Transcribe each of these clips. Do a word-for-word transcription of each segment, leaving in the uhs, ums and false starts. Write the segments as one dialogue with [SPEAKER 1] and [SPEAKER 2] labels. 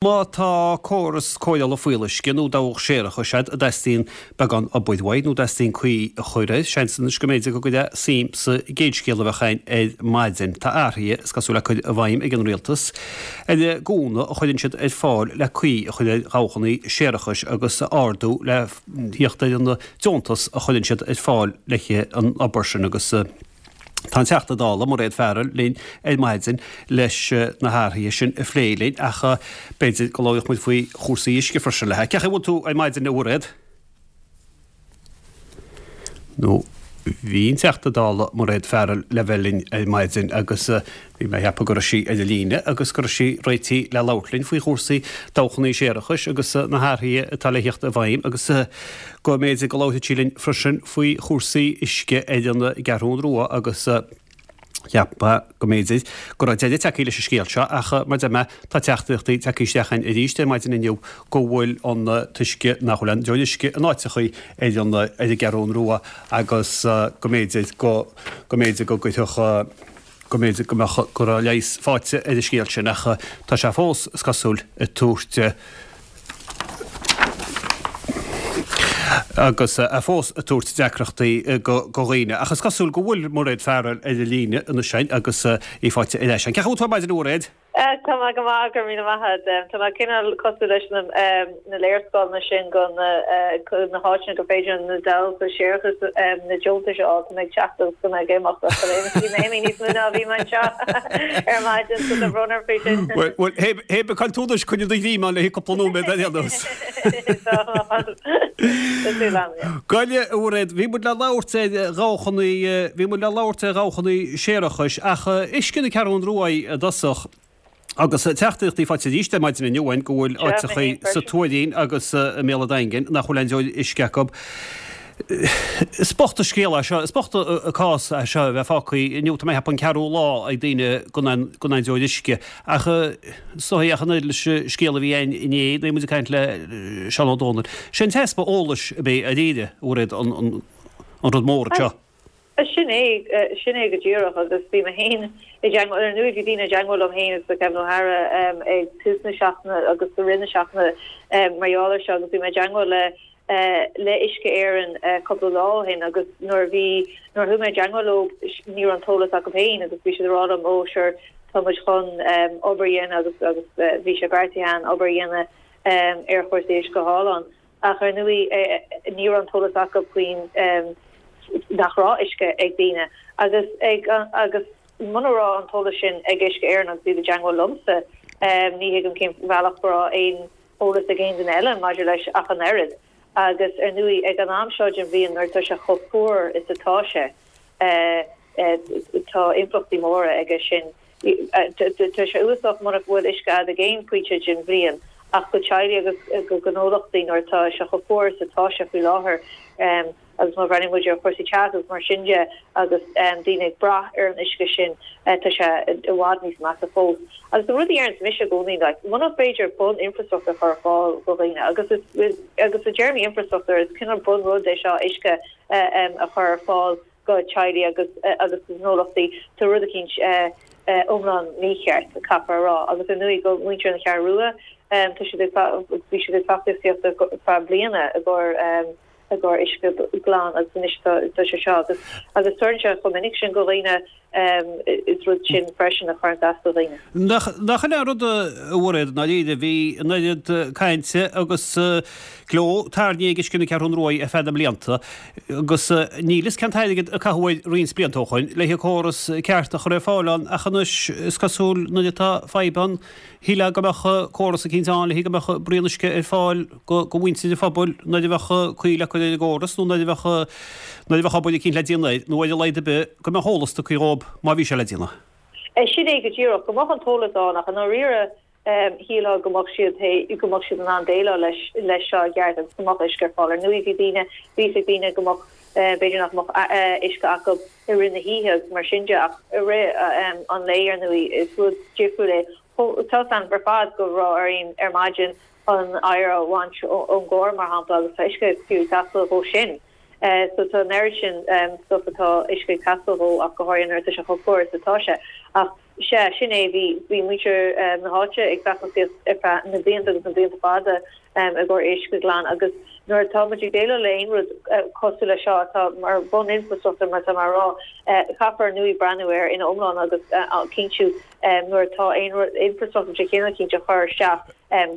[SPEAKER 1] Má tá córas cóireála fuíolluisce nó dabhach séarachais agat a dteastaíonn beagán obair uaidh nó dteastaíonn caoi a chur air, seans anois go mb'fhéidir go gcuirfeá suim sa gcéad scéal a bheadh againn ar maidin. Tá athruithe, is cosúil, le cur i bhfeidhm ag an Rialtas ar an gcúnamh a chuireann siad ar fáil le caoi a chur ar dhabhchanna séarachais agus a ardú le theacht ar an deontas a chuireann siad ar fáil le haghaidh an obair sin agus Tá an Teachta Dála, Mairéad Farrell, linn ar maidin leis na hathruithe sin a phlé linn ach b'fhéidir go labhródh muid faoi chúrsaí uisce freisin léi. Cén chaoi a bhfuil tú ar maidin a Mhairéad? Nó bhí an Teachta Dála Mairéad Farrell le bheith linn ar maidin agus bhí mé ag ceapadh go raibh sí ar an líne agus go raibh sí réitithe le labhairt linn faoi chúrsaí dabhchanna séarachais agus na hathruithe atá le theacht i bhfeidhm agus go mb'fhéidir go labharfadh sí linn freisin faoi chúrsaí uisce ar an gCeathrú Rua agus cheapfá go mb'fhéidir go raibh deireadh tagtha leis an scéal seo ach mar a deir mé tá teachtaireachtaí tagtha isteach againn arís ar maidin inniu go bhfuil an t-uisce nach bhfuil aon deoir uisce in áiteachaí ar an ar an gCeathrú Rua agus go mb'fhéidir go go mb'fhéidir go gcuirfeadh go mb'fhéidir go mbeadh go raibh leigheas faighte ar an scéal sin ach tá sé fós, is cosúil, ag tabhairt agus é fós ag tabhairt deacrachtaí do dhaoine. Ach is cosúil go bhfuil Mairéad Farrell ar an líne anois againn agus í faighte ar ais againn. Cén chaoi a bhfuil tú ar maidin a Mhairéad?
[SPEAKER 2] Tá mé go maith, go raibh míle maith agat. Tá mé cineál cosúil leis na na léarscáileanna sin go na na háiteanna gur féidir na dabhcha séarachais na deontais a fháil. Tá mé ag teacht agus tá mé ag imeacht ach tá mé imithe níos mó ná a bhí mé anseo ar maidin so tá brón orm faoi sin.
[SPEAKER 1] Bhuel, hé bí caint túdais coinnigh do ghreim ann le haghaidh cúpla nóiméad ar aon nós.
[SPEAKER 2] Tá súil agam, yeah.
[SPEAKER 1] Gabh i leith, a Mhairéad, bhí muid le labhairt ar dhabhchanna, bhí muid le labhairt ar dhabhchanna séarachais ach uisce na Ceathrún Rua i dtosach agus teachtaireachtaí faighte arís ar maidin inniu againn go bhfuil áiteachaí sa Tuairín agus i mBéal an Daingin nach bhfuil aon deoir uisce acu. Is bocht an scéal é seo, is bocht an cás é seo a bheith fágtha inniu, tá mé ag ceapadh an ceathrú lá ag daoine gan aon gan aon deoir uisce. Ach is dóigh ach an oiread leis an scéal a bhí againn inné nuair a bhí muid ag caint le Seán Ó Dónaill, sé an t-easpa eolais a bheidh ar a Mhairéad an an rud mór anseo.
[SPEAKER 2] Sin é, sin é go díreach agus bhí mé féin i dteangmháil, ar ndóigh bhí daoine i dteangmháil liom féin agus le Kevin O'Hara ag tús na seachtaine agus i rith na seachtaine mar gheall air seo agus bhí mé i dteangmháil le le Uisce Éireann cúpla lá ó shin agus nuair a bhí, nuair a chuaigh mé i dteangmháil leo ní raibh an t-eolas acu féin agus bhí siad ag rá liom ó sure tá muid chun obair a dhéanamh agus agus bhí sé beartaithe againn obair a dhéanamh ar chúrsaí uisce thall ann. Ach ar ndóigh ní raibh an t-eolas acu faoin nach raibh uisce ag daoine agus ag agus muna raibh an t-eolas sin ag Uisce Éireann agus iad i dteangmháil liomsa ní thuigim cén bhealach go raibh aon eolas ag aon duine eile maidir leis ach an oiread. Agus ar ndóigh ag an am seo den bhliain nuair atá sé chomh fuar is atá sé tá impleachtaí móra aige sin. Tá sé uafásach muna bhfuil uisce agat ag aon phointe den bhliain ach do teaghlaigh agus do ghnólachtaí nuair atá sé chomh fuar is atá sé faoi láthair agus má bhreathnaíonn muid ar chúrsaí teasa agus mar sin de agus daoine ag brath ar an uisce sin tá sé i bhfad níos measa fós. Agus an rud a deireanns mise i gcónaí like muna féidir bun infrastruchtúr a chur ar fáil do dhaoine agus is agus i dtéarmaí infrastruchtúr is cineál bun rud é seo uisce a chur ar fáil do teaghlaigh agus agus do ghnólachtaí, tá rud eicínt iomlán mícheart, caithfear a rá. Agus ar ndóigh do mhuintir na Ceathrún Rua, tá siad ag, bhí siad ag feachtasaíocht ar feadh bliana i gcomhair i gcomhair uisce glan agus anois tá tá sé seo agus agus tarlaíonn sé chomh minic sin do dhaoine, is rud sin freisin a chuireann as do dhaoine.
[SPEAKER 1] Nach nach in é an rud a Mhairéad, i ndáiríre, bhí an oiread cainte agus gleo tairní ag Uisce na Ceathrún Rua ar feadh na mblianta agus níl fhios cén t-airgead a caitheadh air roinnt blianta ó shoin le haghaidh córas ceart a chur ar fáil ann ach anois is cosúil nuair atá fadhb ann shílfeá go mbeadh córas eicínt ann le haghaidh go mbeadh braon uisce ar fáil go mhuintir an phobail nuair a bheadh caoi le cur ar an gcóras nó nuair a bheadh nuair a bheadh obair eicínt le déanamh air nó ar a laghad ar bith go mbeadh eolas tugtha dhóibh má bhí sé le déanamh.
[SPEAKER 2] Sin é go díreach, go mbeadh an t-eolas ann ach i ndáiríre shílfeá go mbeadh siad go mbeadh siad in ann déileáil leis leis seo i gceart agus go mbeadh uisce ar fáil. Ar ndóigh bhí daoine, bhí fhios ag daoine go mbeadh, b'fhéidir nach mbeadh uisce acu i rith na hoíche agus mar sin de ach i rith an lae ar ndóigh is rud difriúil é. Tá fhios againn ar fad go raibh orainn ar maidin an oighear a bhaint ón gcarr mar shampla agus tá uisce fiú ag teastáil dhó sin. So tá an oiread sin stuff atá uisce ag teastáil dhó ach go háirithe nuair atá sé chomh fuar is atá sé. Ach Sea, sin é, bhí bhí muintir na háite ag feachtasaíocht ar feadh na blianta agus na blianta fada i gcomhair uisce glan agus nuair atá muid ag déileáil le aon rud cosúil le seo atá mar bhun-infrastruchtúr mar atá mé a rá, caithfear ar ndóigh breathnú air ina iomlán agus cinntiú nuair atá aon rud infrastruchtúr de chineál eicínt á chur isteach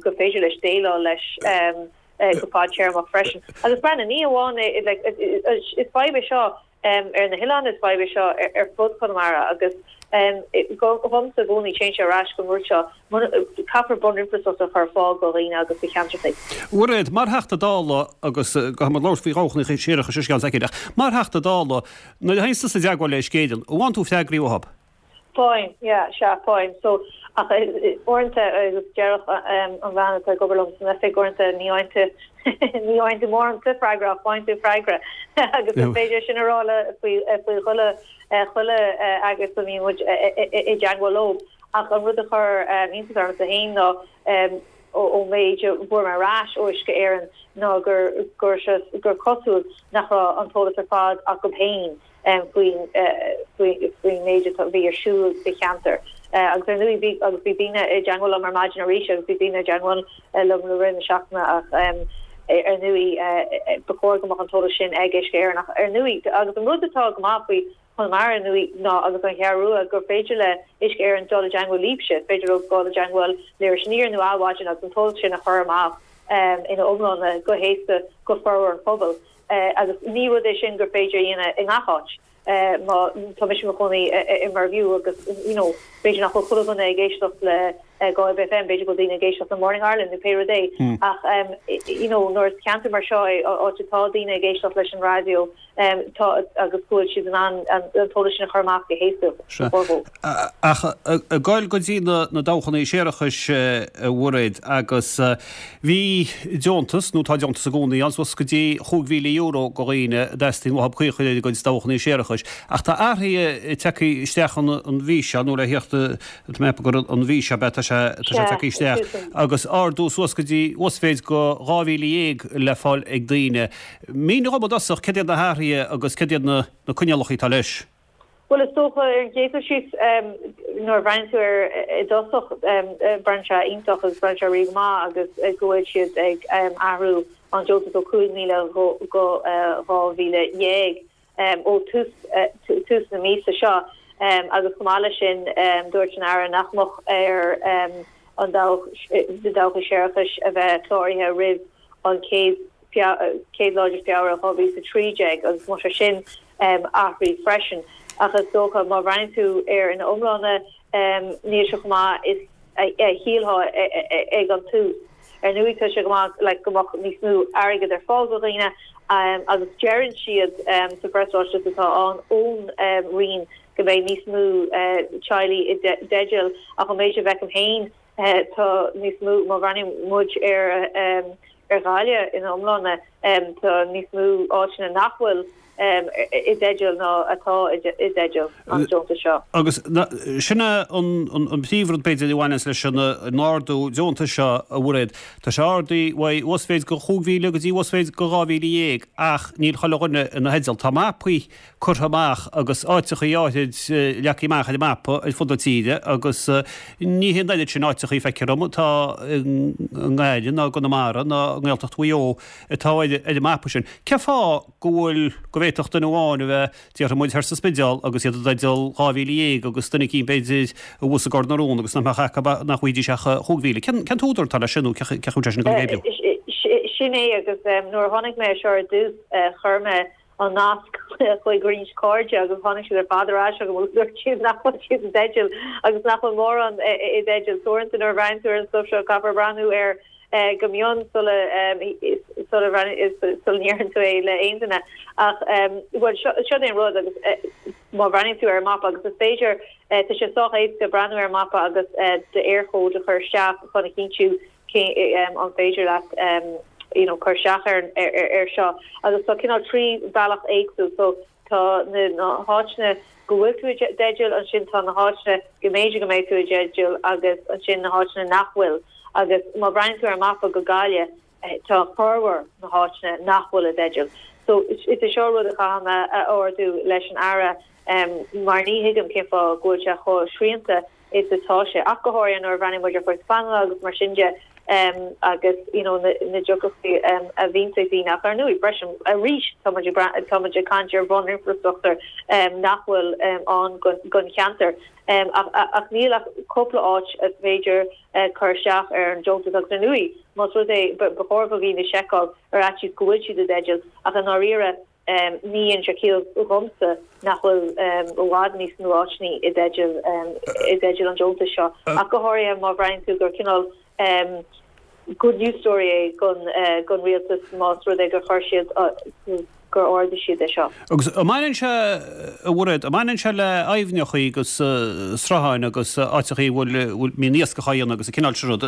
[SPEAKER 2] gur féidir leis déileáil leis go fadtéarmach freisin. Agus breathnaigh, ní amháin é, like, is fadhb é seo ar na hoileáin, is fadhb é seo ar fud Chonamara agus dhomsa i gcónaí téann sé ar ais go rud seo, caithfear bun-infrastruchtúr a chur ar fáil do dhaoine agus do cheantracha.
[SPEAKER 1] Mhairéad, mar Theachta Dála, agus caithfidh muid labhairt faoi dhabhchanna séarachais i gceann soicind, ach mar Theachta Dála, nuair a théann tusa i dteagmháil le Uisce Éireann, an bhfaigheann tú freagraí uathu?
[SPEAKER 2] Faighim, yeah, sea, faighim. So, ach uaireanta, agus déarfadh an bhean atá ag obair liom san oifig, uaireanta ní fhaigheann tú, ní fhaigheann tú mórán de freagra ach faigheann tú freagra. Agus is féidir sin a rá le, faoi, faoi chuile, chuile eagras a mbíonn muid i dteagmháil leo. Ach an rud a chuir iontas ormsa féin ná ón méid a fuair mé ar ais ó Uisce Éireann ná gur, gur, gur cosúil nach raibh an t-eolas ar fad acu féin. faoin faoin méid a bhí ar siúl sa cheantar. Agus ar ndóigh bhí agus bhí daoine i dteagmháil liom ar maidin arís agus bhí daoine i dteagmháil liom le rith na seachtaine ach ar ndóigh ba chóir go mbeadh an t-eolas sin ag Uisce Éireann ach ar ndóigh agus an rud atá go maith faoi Chonamara ar ndóigh ná agus an Cheathrú Rua gur féidir le Uisce Éireann dul i dteagmháil libhse, is féidir leo dul i dteagmháil le Iris Aniar nó Adhmhaidin agus an t-eolas sin a chur amach ina iomláine go héasca go formhór an phobail. Agus ní rud é sin gur féidir a dhéanamh i ngach áit. Má tá mise i mo chónaí i Mervue agus you know b'fhéidir nach bhfuil chuile dhuine ag éisteacht le Galway Bay FM, b'fhéidir go bhfuil daoine ag éisteacht le Morning Ireland nó pé rud é. Ach you know nuair is ceantar mar seo é, áit atá daoine ag éisteacht leis an raidió, tá agus go bhfuil siad in ann an t-eolas sin a chur amach go héasca
[SPEAKER 1] go formhór. Ach ag goil go dtí na dabhchanna séarachais, a Mhairéad, agus bhí deontas, nó tá deontas i gcónaí ann, suas go dtí chúig mhíle euro do dhaoine a dteastaíonn uathu caoi a chur ar a gcuid dabhchanna séarachais. Ach tá athruithe tagtha isteach an mhí seo, nó le theacht, tá mé ag ceapadh gur an mhí seo, tá sé tagtha isteach, agus ardú suas go dtí uasmhéid go dhá mhíle dhéag le fáil ag daoine. Mínigh dhom i dtosach céard iad na hathruithe agus céard iad na coinníollacha atá leis.
[SPEAKER 2] Bhuel, is dócha, ar an gcéad dul síos, nuair a bhreathnaíonn tú air i dtosach, breathnaíonn sé iontach agus breathnaíonn sé rí go maith agus go bhfuil siad ag athrú an deontas ó cúig mhíle go dhá mhíle dhéag ó tús tús na míosa seo agus chomh maith leis sin dúirt an Aire nach mbeadh ar an dabhach na dabhcha séarachais a bheith cláraithe roimh an chéad chéad lá de Feabhra dhá mhíle is a trí déag agus tá sé sin athraithe freisin. Ach is dócha má bhreathnaíonn tú air ina iomláine níl sé chomh maith is a shílfeá ag an tús. Ar ndóigh tá sé go maith like go mbeadh níos mó airgead ar fáil do dhaoine agus deireann siad sa phreasráiteas atá ann ón Roinn go mbeidh níos mó teaghlaigh i dteideal ach an méid a bhfeicim féin tá níos mó má bhreathnaíonn muid ar ar Ghaillimh ina iomláine tá níos mó áiteanna nach bhfuil i dteideal ná atá i dteideal an deontais seo.
[SPEAKER 1] Agus sin é an príomhrud b'fhéidir a bhaineanns leis an ardú deontais seo, a Mhairéad. Tá sé ardaithe ó uasmhéid go chúig mhíle go dtí uasmhéid go dhá mhíle dhéag ach níl chuile dhuine ina theideal. Tá mapaí curtha amach agus áiteachaí áithrid leagtha amach ar an mapa ar fud na tíre agus ní hé an oiread sin áiteachaí, feictear dom, atá i nGaillimh ná i gConamara ná i nGaeltacht Mhaigh Eo atá ar an mapa sin. Cén fáth go bhfuil, go bhféadfadh duine amháin a bheith, déarfaidh muid, thoir sa Spidéal agus iad i dteideal dhá mhíle dhéag agus duine eicínt b'fhéidir abhus i gCor na Rón agus nach mbeadh acu, nach bhfaighidís ach chúig mhíle. Cén t-údar atá leis sin nó cén chaoi a bhfuil sé sin ag dul ag oibriú?
[SPEAKER 2] Sin é agus nuair a chonaic mé seo ar dtús chuir mé an nasc chuig roinnt cairde agus tháinig siad ar fad ar ais chugam agus dúirt siad nach bhfuil siad i dteideal agus nach bhfuil mórán i dteideal. So uaireanta nuair a bhreathnaíonn tú ar an stuif seo caithfear breathnú air go mion sula sula sula ndeireann tú é le aon duine. Ach bhuel seo seo é an rud agus má bhreathnaíonn tú ar an mapa agus is féidir tá sé sách éasca breathnú ar an mapa agus d'Eircode a chur isteach chun a chinntiú cé an féidir leat you know cur isteach ar ar seo agus tá cineál trí bhealach éagsúil so tá na na háiteanna go bhfuil tú i dteideal ansin tá na háiteanna go mb'fhéidir go mbeidh tú i dteideal agus ansin na háiteanna nach bhfuil agus má bhreathnaíonn tú ar an mapa go Gaillimh tá formhór na háiteanna nach bhfuil i dteideal so is é seo rud a chaithfidh mé a ardú leis an Aire Mar ní thuigim cén fáth go bhfuil sé chomh srianta is atá sé, ach go háirithe nuair a bhreathnaíonn muid ar chúrsaí pleanála agus mar sin de agus you know na na deacrachtaí a bhíonns ag daoine. Ach ar ndóigh, breis arís tá muid ag tá muid ag caint ar bhun-infreastruchtúr nach bhfuil ann don cheantar. Ach ach níl ach cúpla áit is féidir cur isteach ar an deontas agus ar ndóigh más rud é ba chóir do dhaoine seiceáil ar fhaitíos go bhfuil siad i dteideal ach i ndáiríre ní dhéanann sé ciall dhomsa nach bhfuil i bhfad níos mó áiteanna i dteideal i dteideal an deontais seo ach go háirithe má bhreathnaíonn tú gur cineál good news story é gon gon rialtas más rud é gur chuir siad gur ardaigh siad é seo.
[SPEAKER 1] Agus an mbaineann sé, a Mhairéad, an mbaineann sé le aibhneachaí agus srutháin agus áiteachaí a bhfuil, bhfuil, mbíonn iascach á dhéanamh agus an cineál sin rud.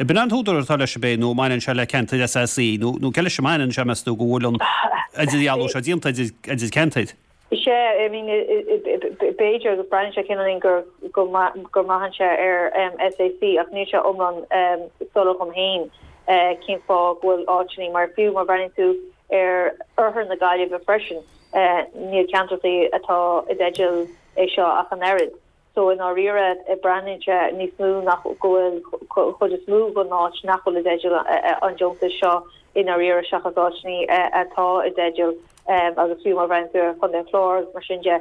[SPEAKER 1] B'in an t-údar atá leis ab é nó an mbaineann sé le ceantair SAC nó, nó cé leis a mbaineann sé meas tú go bhfuil an idirdhealú seo déanta idir, idir ceantair?
[SPEAKER 2] Sea, I mean, b'fhéidir agus breathnaíonn sé cineáilín gur, go go mbraitheann sé ar SAC ach níl sé iomlán soiléir dhom féin cén fáth go bhfuil áiteanna mar fiú má bhreathnaíonn tú ar oirthear na Gaillimhe freisin níl ceantracha atá i dteideal é seo ach an oiread. So i ndáiríre breathnaíonn sé níos mó nach go bhfuil chuid is mó den áit nach bhfuil i dteideal an deontais seo i ndáiríre seachas áiteanna atá i dteideal agus fiú má bhreathnaíonn tú ar Chontae an Chláir agus mar sin de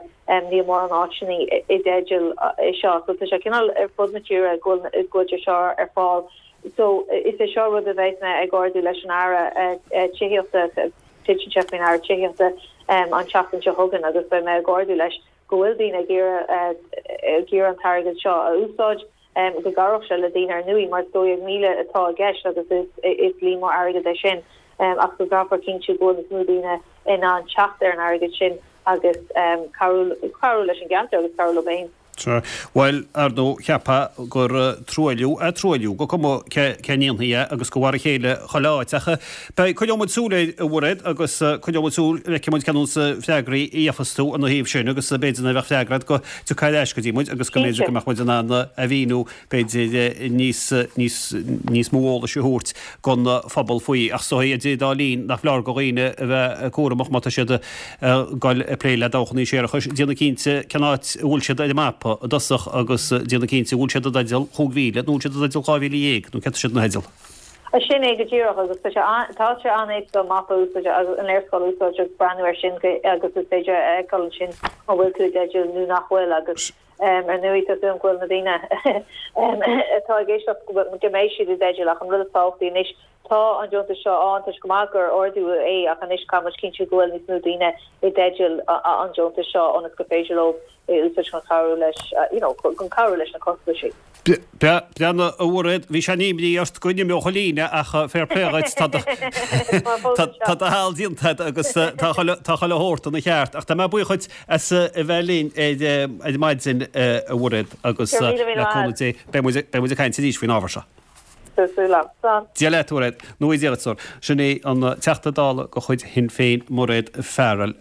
[SPEAKER 2] níl mórán áiteanna i dteideal é seo. So tá sé cineál ar fud na tíre go bhfuil go bhfuil sé seo ar fáil. So is é seo rud a bheidh mé ag ardú leis an Aire Tithíochta, titeann sé faoin Aire Tithíochta an tseachtain seo chugainn agus beidh mé ag ardú leis go bhfuil daoine ag iarraidh ag iarraidh an t-airgead seo a úsáid, go gcabhródh sé le daoine ar ndóigh mar is dó dhéag míle atá i gceist agus is is líon mór airgid é sin ach go gcaithfear cinntiú go bhfuil níos mó daoine in ann teacht ar an airgead sin agus cabhrú cabhrú leis an gceantar agus cabhrú leo féin.
[SPEAKER 1] Sea. Bhuel, ar ndóigh, cheapfá gur truailliú é truailliú, go cuma cé a ndéanfaidh é agus gur mar a chéile chuile áit. Ach beidh, coinneoidh muid súil air, a Mhairéad, agus coinneoidh muid súil, feicfidh muid cén nós freagraí a gheofas tú ina thaobh sin agus b'fhéidir nuair a bheadh freagra agat go dtiocfá ar ais go dtí muid agus go mb'fhéidir go mbeadh muid in ann a mhíniú, b'fhéidir, níos, níos, níos mó eolais a thabhairt don phobal faoi. Ach is dóigh, idir an dá linn, nach foláir do dhaoine a bheith cúramach má tá siad ag dul ag plé le dabhchannaí séarachais, déanamh cinnte cén áit a bhfuil siad ar an mapa i dtosach agus déanamh cinnte an bhfuil siad i dteideal chúig mhíle nó an bhfuil siad i dteideal dhá mhíle dhéag nó céard tá siad ina theideal.
[SPEAKER 2] Sin é go díreach agus tá sé tá sé an-éasca an mapa a úsáid agus an léarscáil a úsáid agus breathnú air sin agus is féidir a fheiceáil ansin an bhfuil tú i dteideal nó nach bhfuil agus ar ndóigh tá súil agam go bhfuil na daoine atá ag éisteacht go mbeidh siad i dteideal ach an rud is tábhachtaí anois tá an deontas seo ann tá sé go maith gur ardú é ach anois caithfidh muid cinntiú go bhfuil níos mó daoine i dteideal an deontais seo ionas gur féidir leo é a úsáid chun cabhrú leis you know chun cabhrú leis na costaisí.
[SPEAKER 1] Breathnaigh, a Mhairéad, bhí sean-imní ort go n-imeodh an líne ach fair play dhuit, tá do tá do sheal déanta agat agus tá chuile tá chuile shórt ina cheart. Ach tá mé buíoch dhuit as a bheith linn ar ar maidin, a Mhairéad, agus
[SPEAKER 2] Go raibh míle míle
[SPEAKER 1] le
[SPEAKER 2] maith
[SPEAKER 1] cúnamh
[SPEAKER 2] agat.
[SPEAKER 1] Dé beidh muid beidh muid ag caint arís faoin ábhar seo.
[SPEAKER 2] Tá súil agam. Slán.
[SPEAKER 1] Dia leat, a Mhairéad. Nó Dia duit, a stór. Sin é an Teachta Dála de chuid Shinn Féin, Mairéad Farrell.